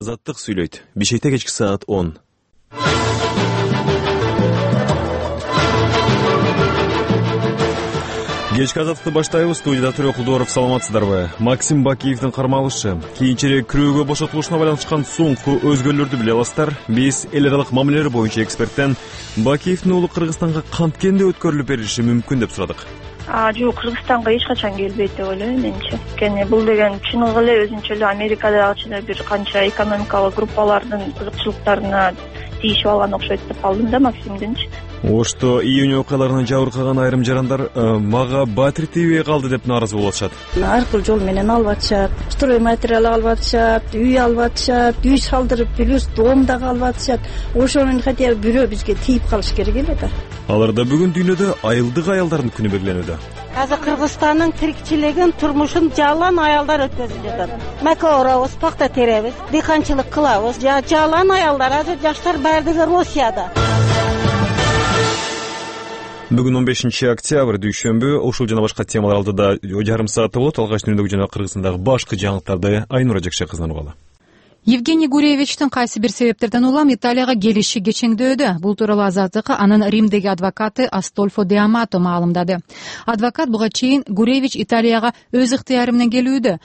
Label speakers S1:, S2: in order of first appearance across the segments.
S1: Азаттык сүйлөйт. Бишкекте кечки саат 10. Кечки азаттыкты баштайбыз. Студияда Төрө Кулдуоров, саламатсыздарбы? Максим Бакиевдин кармалышы, кийинчерээк күрөөгө бошотулушуна байланышкан соңку өзгөрүүлөрдү биле аласыздар. Биз эл аралык мамилелер боюнча эксперттен Бакиевдин уулу Кыргызстанга канткен өткөрүлүп берилиши мүмкүн деп сурадык.
S2: Жок, Кыргызстанга эч качан келбейт деп ойлойм менчи. Анткени бул деген чыныгы эле өзүнчө эле Америкадагычы бир канча экономикалык группалардын кызыкчылыктарына тийишип алган окшойт деп калдым да Максимдинчи.
S1: Ошто июнь окуяларынан жабыркаган айрым жарандар мага батир тийбей калды деп нааразы болуп атышат.
S3: Ар кыл жол менен алып атышат. Строй материал алып атышат, үй алып атышат, үй салдырып, плюс дом дагы алып атышат. Ошонун хотя бы бирөө бизге тийип калыш керек эле да.
S1: Аларда бүгүн дүйнөдө айылдык аялдардын күнү белгиленүүдө.
S4: Азыр Кыргызстандын тирикчилигин, турмушун жалаан аялдар өткөзүп жатат. Мака орабыз, пакта теребиз, дыйканчылык кылабыз. Жалаан аялдар, азыр жаштар баардыгы Россияда.
S1: Бүгүн 15 октябрь дүйшөмбү. Ушул жана башка темалар алдыда жарым саатта болот. Алгач дүнүдөгү жана Кыргызстандагы башкы жаңылыктарды Айнура Жакшакызынан угалы.
S5: Евгений Гуревичтин кайсы бир себептерден улам Италияга келиши кечеңдөөдө. Бул тууралуу Азаттыкка анын Римдеги адвокаты Астольфо Де Амато маалымдады. Адвокат буга чейин Гуревич Италияга өз ыктыяры менен келүүдө.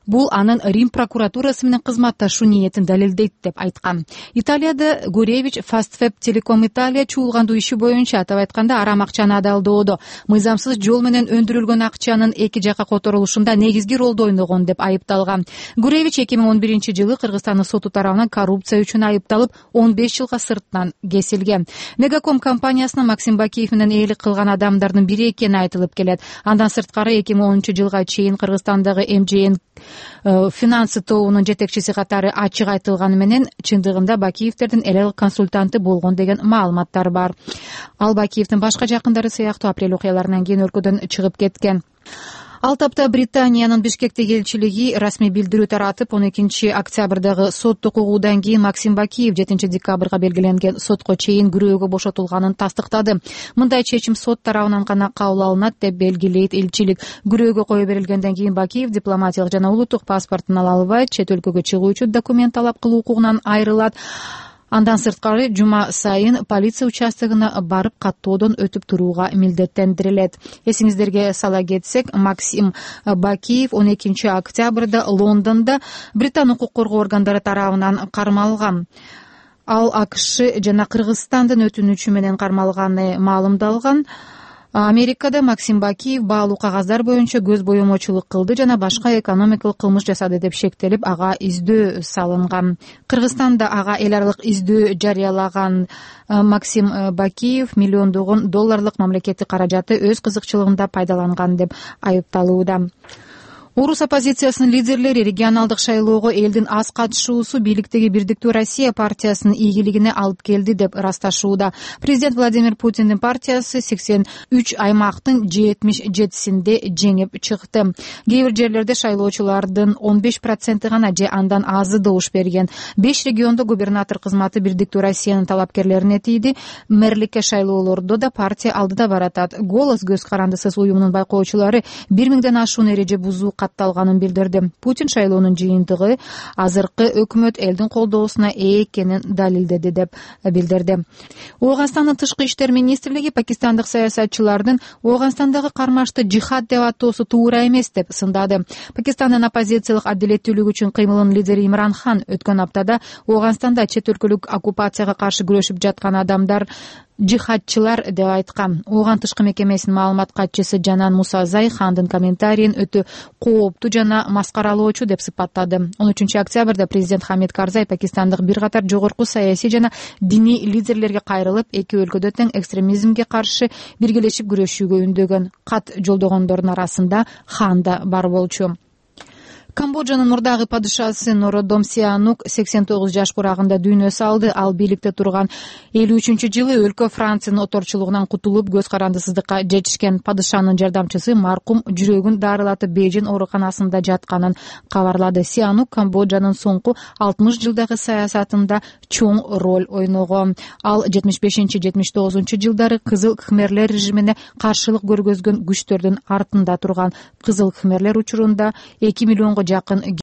S5: Бул анын Рим прокуратурасы менен кызматташуу ниетин далилдейт деп айткан. Италияда Гуревич Fastweb Telecom Italia чуулгандуу иши боюнча, атап айтканда, арам акчаны адалдоодо, мыйзамсыз жол менен өндүрүлгөн акчанын эки жакка которулушунда негизги ролду ойногон деп айыпталган. Гуревич 2011-жылы Кыргызстандын соту тарабынан коррупция үчүн айыпталып, 15 жылга сырттан кесилген. Мегаком компаниясына Максим Бакиев менен ээлик кылган адамдардын бири экени айтылып келет. Андан сырткары 2010-жылга чейин Кыргызстандагы МЖН финансы тобунун жетекчиси катары ачык айтылганы менен чындыгында Бакиевдердин эл аралык консультанты болгон деген маалыматтар бар. Ал Бакиевдин башка жакындары сыяктуу апрель окуяларынан кийин өлкөдөн чыгып кеткен. Ал тапта Британиянын Бишкектеги элчилиги расмий билдирүү таратып, 12 октябрдагы соттук угуудан кийин Максим Бакиев 7 декабрга белгиленген сотко чейин күрөөгө бошотулганын тастыктады. Мындай чечим сот тарабынан гана кабыл алынат деп белгилейт элчилик. Күрөөгө кое берилгенден кийин Бакиев дипломатиялык жана улуттук паспортун ала албайт, чет өлкөгө чыгуу үчүн документ талап кылуу укугунан айрылат. Андан сырткары жума сайын полиция участогуна барып каттоодон өтүп турууга милдеттендирилет. Эсиңиздерге сала кетсек, Максим Бакиев 12 октябрда Лондондо Британ укук коргоо органдары тарабынан кармалган. Ал АКШ жана Кыргызстандын өтүнүчү менен кармалганы маалымдалган. Америкада Максим Бакиев баалуу кагаздар боюнча көз боемочулук кылды жана башка экономикалык кылмыш жасады деп шектелип, ага издөө салынган. Кыргызстанда ага эл аралык издөө жарыялаган Максим Бакиев миллиондогон долларлык мамлекеттик каражатты өз кызыкчылыгында пайдаланган деп айыпталууда. Орус оппозициясынын лидерлери регионалдык шайлоого элдин аз катышуусу бийликтеги Бирдиктүү Россия партиясынын ийгилигине алып келди деп ырасташууда. Президент Владимир Путиндин партиясы 83 аймактын 77синде жеңип чыкты. Кээ бир жерлерде шайлоочулардын 15% гана же андан азы добуш берген. 5 региондо губернатор кызматы Бирдиктүү Россиянын талапкерлерине тийди. Мэрликке шайлоолордо да партия алдыда баратат. Голос көз карандысыз уюмунун байкоочулары 1000ден ашуун эреже бузуу катталганын билдирди. Путин шайлоонун жыйынтыгы азыркы өкмөт элдин колдоосуна ээ экенин далилдеди деп билдирди. Ооганстандын тышкы иштер министрлиги пакистандык саясатчылардын Ооганстандагы кармашты жихад деп атоосу туура эмес деп сындады. Пакистандын оппозициялык адилеттүүлүк үчүн кыймылынын лидери Имран Хан өткөн аптада Ооганстанда чет өлкөлүк оккупацияга каршы күрөшүп жаткан адамдар жихадчылар деп айткан. Ооган тышкы мекемесинин маалымат катчысы Жанан Мусазай Хандын комментарийин өтө кооптуу жана маскаралоочу деп сыпаттады. 13 октябрда президент Хамид Карзай пакистандык бир катар жогорку саясий жана диний лидерлерге кайрылып, эки өлкөдө тең экстремизмге каршы биргелешип күрөшүүгө үндөгөн. Кат жолдогондордун арасында Хан да бар болчу. Камбоджанын мурдагы падышасы Нородом Сианук 89 жаш курагында дүйнө салды. Ал бийликте турган 53-жылы өлкө Франциянын оторчулугунан кутулуп, көз карандысыздыкка жетишкен. Падышанын жардамчысы маркум жүрөгүн дарылатып Бейжин ооруканасында жатканын кабарлады. Сианук Камбоджанын соңку 60 жылдагы саясатында чоң роль ойногон. Ал 75-79 жылдары Кызыл Кхмерлер режимине каршылык көргөзгөн күчтөрдүн артында турган. Кызыл Кхмерлер учурунда 2 миллионго жакын